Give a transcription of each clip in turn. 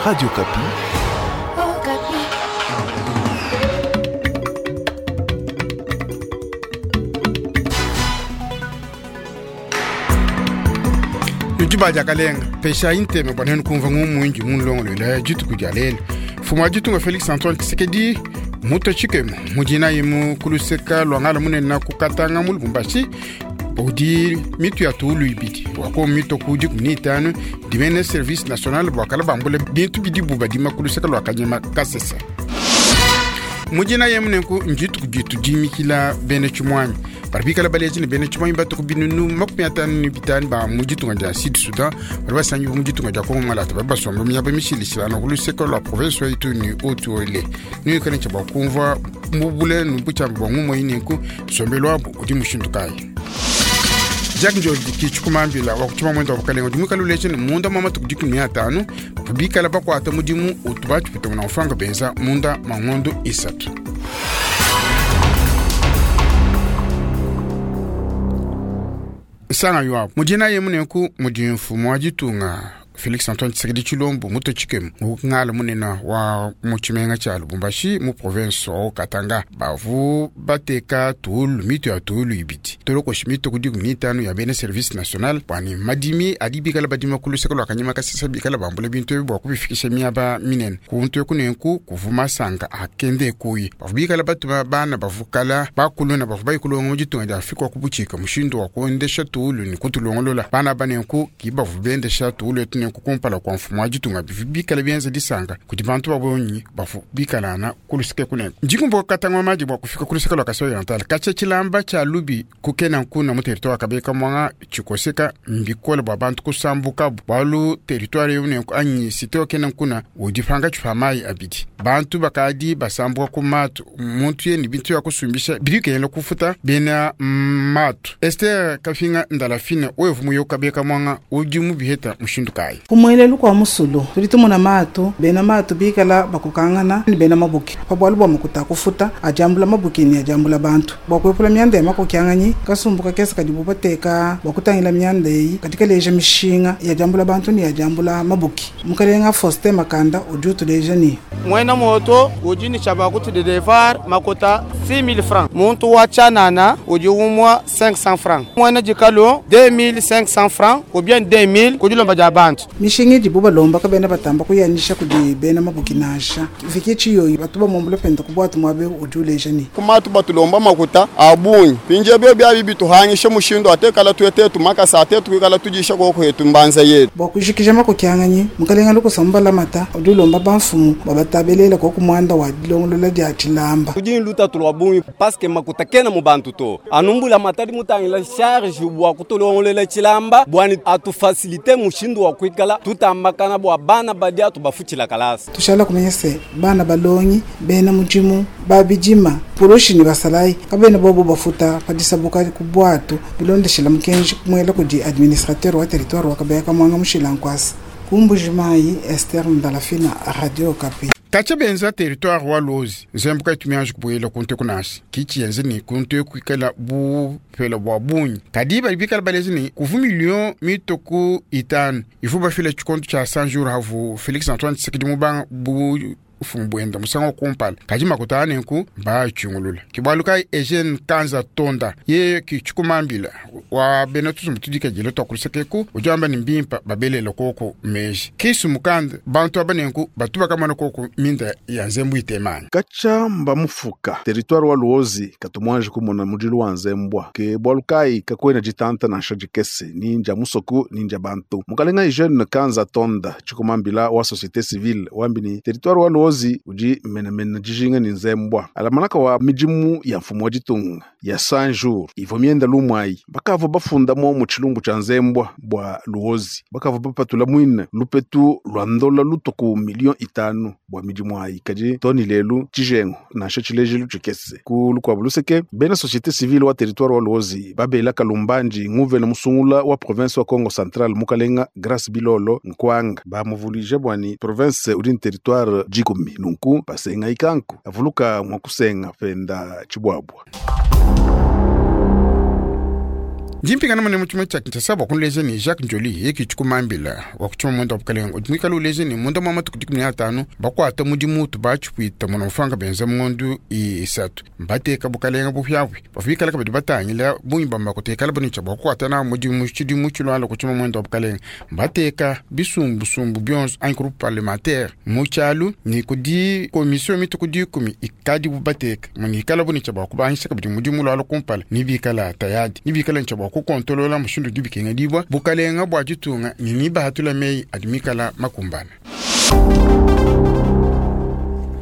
Radio Okapi. Nudi ba diakalenga peshayi ntema bua nuenu kumvua ngumu indi munulongoluela dituku dia lelu. Mfumu wa ditunga Felix Antoine Tshisekedi mutue tshikemu mu dinayi mu ku luseka lua ngala munene ku Katanga mu Lubumbashi udi mitu ya tuulu ibidi wako mito ku 15 dimene service national bua kala bambule bintu bidibu badima ku luseka lua Kanyema Kasese. Mu dinayi emu nenku ndituku ditu dimikila bena tshimuanyi badi bikala baleji ne bena tshimuanyi batuku binunu 55 ba mu ditunga dia Sud Soudan badi basangibua mu ditunga dia Kongo Malata badi basomba miaba mishilashilangane ku luseke lua province wa Ituri ne Haut-Uele. Nuikale ne tshia bua kumvua mu bule ne butshiamba bua ngumu eyi nenku nsombelu wabu udi mushindu kayi. Jacques Njoli ki tshikumambila wa ku tshimamuende wa bukalenge udi muikale uleja ne munda mua matuku 15 bavua bikala bakuata mudimu utu batshipute muna mfranga benza munda mua ngondo 3. Nsanga yuabu mu dinayi emu nenku mudi mfumu wa ditunga Felix Antoine Tshisekedi Tshilombo mutue tshikemu mu ngala munene wa mu tshimenga tshia Lubumbashi mu province wa Katanga. Bavu bateka tuulu mitu ya tuulu ibidi tolokoshi mitu ku 15 ya bena service national bua ne madimi adi bikala badima ku luseke lua Kanyema Kasese bikala bambula bintu ebi bua kubifikisha miaba minene. Kuntu eku nenku kuvu masanka akende kuyi bavu bikala batuma bana bavukala bakuluna bavu bayikulonga mu ditunga dia Afrika wa kubutshika mushindu wa kuendesha tuulu ne kutulongolola. Bana aba nenku ki bavu bendesha tuulu etu nenku kumpala kua mfumu wa ditunga bivu bikala bienza disanka kudi bantu babonyi bavu bikalana ku luseke kunenku. Ndikumbuka katanga maji bua kufika ku luseke lua Kasai Oriental katshia tshilamba tshia lubi kukena nkuna mu territoire Kabeka mwanga tshikoseka mbikole bua bantu kusambukabu bualu territoire eu nenku anyi cité okena nkuna udi pankatshi pa mayi abidi. Bantu bakadi basambuka ku matu muntu ye ne bintu ya kusumbisha bidi bikengela kufuta bena matu. Esther Kafinga Ndalafina wevu muyo Kabeka mwanga udi mubiheta mushindu kayi. Ku muelelu kua musulu tudi tumona matu bena matu bikala bakokangana ne bena mabuki pa bualu bua makuta kufuta adiambula mabuki ne adiambula bantu bua kuepula mianda ya makokianganyi kasumbu kakese kadibu bateka bua kutangila mianda eyi kadi kaleja mishinga ya diambula bantu ne ya diambula mabuki. Mukalenga Faustin Makanda udi utuleja ne mwena moto udi ne tshia kutudedevar makota 6000 francs, muntu wa tshianana udi umwa 500 francs, mwena dikalo 2500 francs ou bien 2000 kudilomba dia bantu. Mishinga idibu balomba kabena batamba kuyanisha kudi bena mabuki nansha viki tshiyoyi batu bamumbula penda ku bwatu mwabe udi uleja ne kumatu batulomba makuta abungi pinje byo byabi bituhangishe mushindu atekala tuetetu makasa atetu kuikala tudisha koko hetu mbanza yetu. Bua kujikija makokianganyi mukalenga lukusamba mata udi ulomba bamfumu babatabelela koko mwanda wa dilongolola dia tshilamba. Tudi lutatu lwa bungi paske makuta kena mu bantu to anumbula matadi mutangila charge bua kutulongolola tshilamba bwani atufasilite mushindu wa kuikala tutambakana bua bana badi atubafutshila kalasa. Tushala kumenya se bana balongi bena mudimu babidima poloshi ne basalayi kabena bobo bafuta padisabuka ku bwatu bilondeshela mukenji kumwela kudi administrateur wa territoire wa Kabeka Mwanga Mushila Nkwasa. Kumbujimayi Esther Ndalafina, Radio Okapi. Katshia benza territoire wa Luozi nzembu kaitumianji kubuela kuntu eku nansha kichi yenze ni kuntu eku ikala bupela bua bungi kadi badi bikala balezi ni kuvu million mitoku 5 ivu bafila tshikonto tshia 100 jours havu Felix Antoine Tshisekedi mubanga bu mfumu bwenda musanga wa kumpala kadi makuta anenku mbaatshungulula kibualu kai Eugene Kanza Tonda ye kitshikumambila wa bena tuzumbu tudikadile twakulisekeku udi wamba ni mbimpa babelela koko meji kisu mukanda bantu aba nenku batu bakamana koko minda ya nzembu itemani. Katshia mba mufuka territoire wa Luozi katumwanje kumona mudilu wa nzembwa ke bualu kai kakwena ditanta nansha dikese ninja musoku ninja bantu. Mukalenga Eugene Kanza Tonda tshikumambila wa société civile wambini territoire wa Luozi udi menemene dijinga ni nzembwa alamanaka wa midimu ya mfumu wa ditunga ya 100 jours ivo mienda lumwai bakava bafundamo mu tshilumbu tshia nzembwa bwa Luozi bakava bapatula mwine lupetu lwa ndola lutuku million 5 bwa midimu ayi kadi toni lelu tshijengo nansha tshilejilu tshikese ku lukuabu luseke bena société civile wa territoire wa Luozi babela kalumbanji nguvena musungula wa province wa Congo Central mukalenga Grace Bilolo Nkwanga bamuvulije bwani province udi territoire 10 nunku basenga ikanku avuluka mwakusenga penda chibwabwa. Ndi mpingana mune mu tshimenga tshia Kinshasa bua kunuleja ne Jacques Ndjoli yeye ke tshikumambila wa ku tshimamunda wa bukalenga udi muikale uleja ne munda mua matuku 15 bakuata mudimu utu batshipuita muna mufanga benza mu ngondu isatu mbateka bukalenga bupiabupia bavua bikala kabidi batangila bungi bua makuta ikala bune tshia bua kukuata nawu mudimu tshidimu tshilualua ku tshimamunda wa bukalenga mbateka bisumbusumbu bionso anyi groupe parlementaire mu tshialu ne kudi commission mituku 10 ikadibu bateka munikala bune tshia bua kubangisha kabidi mudimu lualua kumpala ne bikala tayadi ne bikala ntshia bua kukontolola mushindu udi bikengedibua bukalenga bua ditunga ne nibahatula meyi adi mikala makumbana.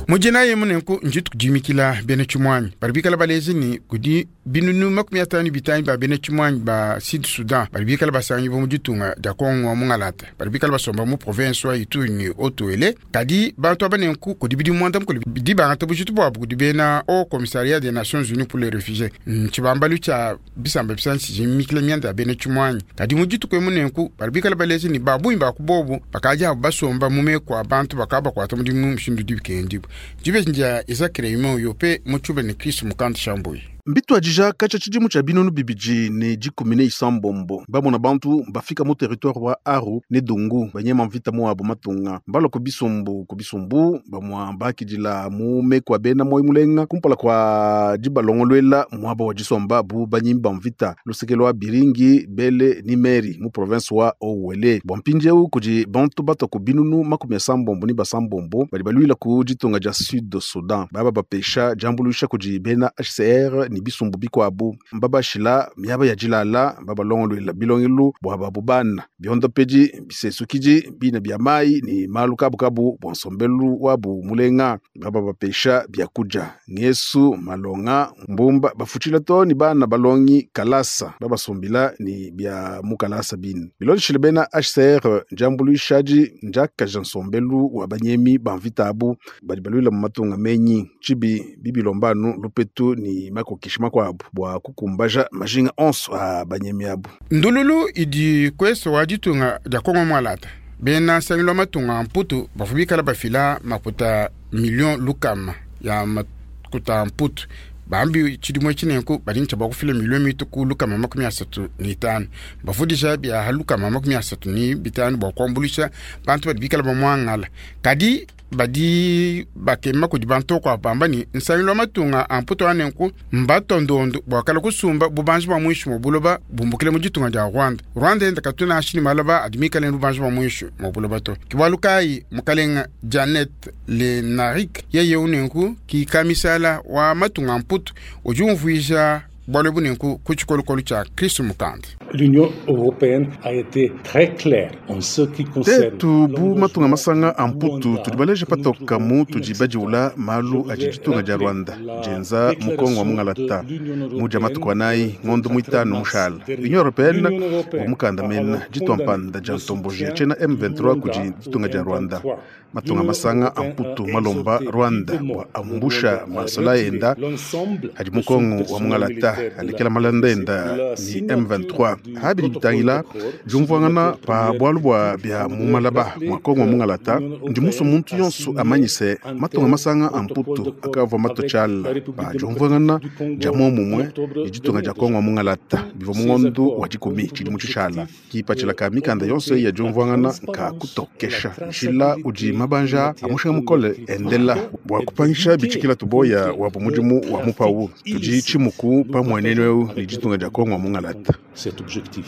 Mujina yemu nenku ndituku dimikila bena tshimuanyi badi bikala baleja ne kudi binunu 55 ba bena tshimuanyi ba Sud Soudan badi bikala basangibua mu ditunga dia Kongo wa Mungalata badi bikala basomba mu province wa Ituri ne Haut-Uele. Kadi bantu aba nenku kudi bidimu muanda-mukulu bidi bangata bujitu buabu kudi bena Haut Commissariat des Nations Unies pour les Réfugiés, ntshibambalu tshia bisamba bisangi tshimikila mianda ya bena tshimuanyi. Kadi mu dituku emu nenku badi bikala baleja ne ba bungi ba ku bobu bakadi abu basomba mu meku a bantu bakabakuata mudimu mushindu udi bikengedibua. Dibeji ndia Isaac Raymond Yope mu tshiuba ne Chris Mukanda Shambuyi. Mbituadija katshia tshidimu tshia 2016 bamona bantu bafika mu territoire wa Aru ne Dungu banyema mvita muabu matunga mbalua ku bisumbu ku bisumbu bamua bakidila mu meku a bena moyo mulenga kumpala kua dibalongoluela muaba wa disomba bu banyimi ba mvita luseke lwa Biringi Bele ni Meri mu province wa Haut-Uele. Bua mpindieu kudi bantu batua ku 76 badi baluila ku ditunga dia Sud Soudan baba bapesha diambuluisha kudi bena HCR ne bisumbu bikuabu mbabashila miaba ya dilala babalongoluela bilongelu bua babu bana biondopedi bisesukidi bina bia mai ne malu kabukabu bua nsombelu wabu mulenga baba bapesha biakudia ngesu malonga mbumba bafutshila to ni bana balongi kalasa babasumbila ni bia mu kalasa bine bilondeshile bena HCR ndiambuluishadi ndiakaja nsombelu wa banyemi ba mvita abu badi baluila mu matunga menyi tshibi bibilombanu lupetu ni makokeshi makuabu bua kukumbaja majinga onso a banyemi abu. Ndululu idi kweso wa ditunga dia Kongo Mwalata bena nsangilu wa matunga a mputu bavua bikala bafila makuta million lukama ya makuta a mputu bambi tshidimu etshi nenku badi ne tshia bua kufila million mituku 35 bavudisha bia 35 bua kuambuluisha bantu badi bikala bamuangala kadi badi bakema kudi bantu kwa bamba ni nsangilu wa matunga a mputu anenku mbatondondo bua kala kusumba bubanji bua mwishi mu buloba bumbukile mu ditunga dia Rwanda. Rwanda enda katuna ashini malaba adi mikale bubanji bua mwishi mu buloba to. Kibalu kayi mukalenga Janet Lenarik yeye unenku ki kamisala wa matunga a mputu udi umvuija bualu bunenku ku tshikolokolo tshia Kristu Mukanda. L'Union européenne a été très claire en ce qui concerne tetu bu matunga masanga a mputu tudi baleja patoka mu tudi badiula malu adi ditunga dia Rwanda dienza mukongo wa mungalata mudia matuku anayi ngondo muitanu mushala Union européenne wa mukanda mena ditua mpanda dia ntomboji ya tshiena M23 kudi ditunga dia Rwanda matunga masanga a mputu malomba Rwanda bua ambusha masola enda adi mukongo wa mungalata alekela malanda enda ni M23 habidi bitangila diumvuangana pa bualu bua bia mu malaba mua Kongo wa mungalata ndi muso muntu yonso amanyise matunga masanga a mputu akavua mato tshiala pa diumvuangana dia muomumue ne ditunga dia Kongo wa mungalata bivua mu ngondo wa dikumi tshidimu tshitshala kipatshila ka mikanda yonso ya diumvuangana nka kutokesha nshila udi mabanja a mushinga mukole endela bua kupangisha bitshikila tuboya wabu mudimu wa mupawu tudi tshimuku pa muenenu eu ne ditunga dia Kongo wa mungalata. Cet objectif.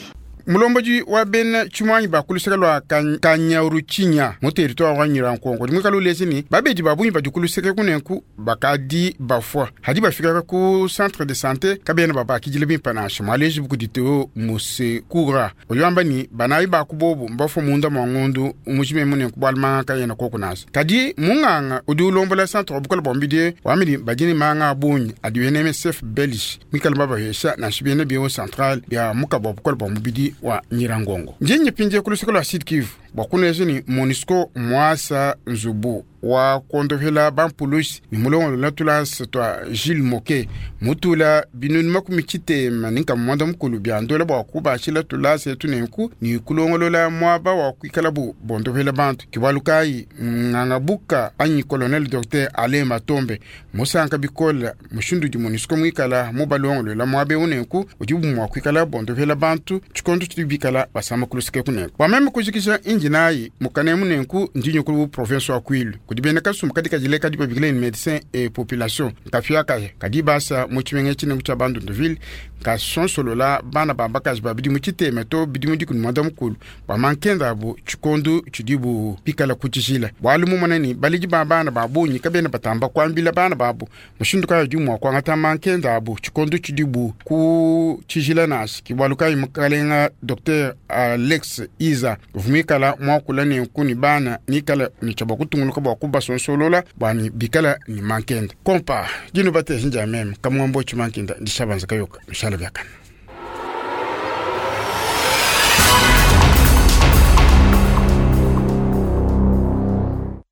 Mulomboji wa bena tshimuanyi bakuluseka lua Kanyaruchinya mu territoire wa Nyirankongo dimwe lulezi ni babedi babunyi badi kuluseka kunenku bakadi bafua hadi bafika ku centre de santé kabena babakidile bimpe nansha mwaleji bukudi teo musekura oyamba ni banayi bakubobu mbafua munda mwa ngondu mujime munenku bwalimanga kayena koku nansha kadi munganga udi ulombola centre wa bukola bwa mbidie wamidi badini manga abunyi adi UNMSF belge mikala babahesha nansha biene bio central bia mukaba wa bukola bwa mubidi wa Nyirangongo. Njinyi pinje kuluseka lwa Sud Kivu. Bua kuneja ni MONUSCO muasa nzubu wa kuondohela bampulushi ni mulongolola tulasa twa Jules Moke mutula binunu makumi tshitema ni nkama mwanda mukulu bia ndola bua kubashila tulasa etu nenku ni kulongolola muaba wa kuikala bu bondohela bantu. Kibalu kayi ngangabuka anyi colonel docteur Alain Matombe musanka bikola mushindu di MONUSCO muikala mubalongolola muaba eu nenku udi mua kuikala bondohela bantu tshikondo tshidi bikala basama kulusike kunenku. Bua meme kujikisha inji nayi mukanemu nenku ndinyukulu province wa Kwilu kudi bena kasumbu kadi kajile kadi babikile ni médecin et population nkafia kaya kadi basa mu tshimenga tshinengu tshia Bandunduville kasonsolola bana ba bakaji ba bidimu tshitema to bidimu dikumi mwanda mukulu bua mankenda abu tshikondu tshidibu bikala kutshishila bualu mumona ni baledi ba bana ba bungi kabena batamba kuambila bana babu mushindu kayi udi mua kuangata mankenda abu tshikondu tshidibu ku tshijila nashi kibualu kayi mukalenga Dr Alex Iza vumikala muakula nenku ni bana nikala ni tshia bua kutunguluka bua kubasonsolola bwani bikala ni mankenda kompa dino bateshinja meme kamwambo chimankenda ndishabanza kayoka mishala byakana.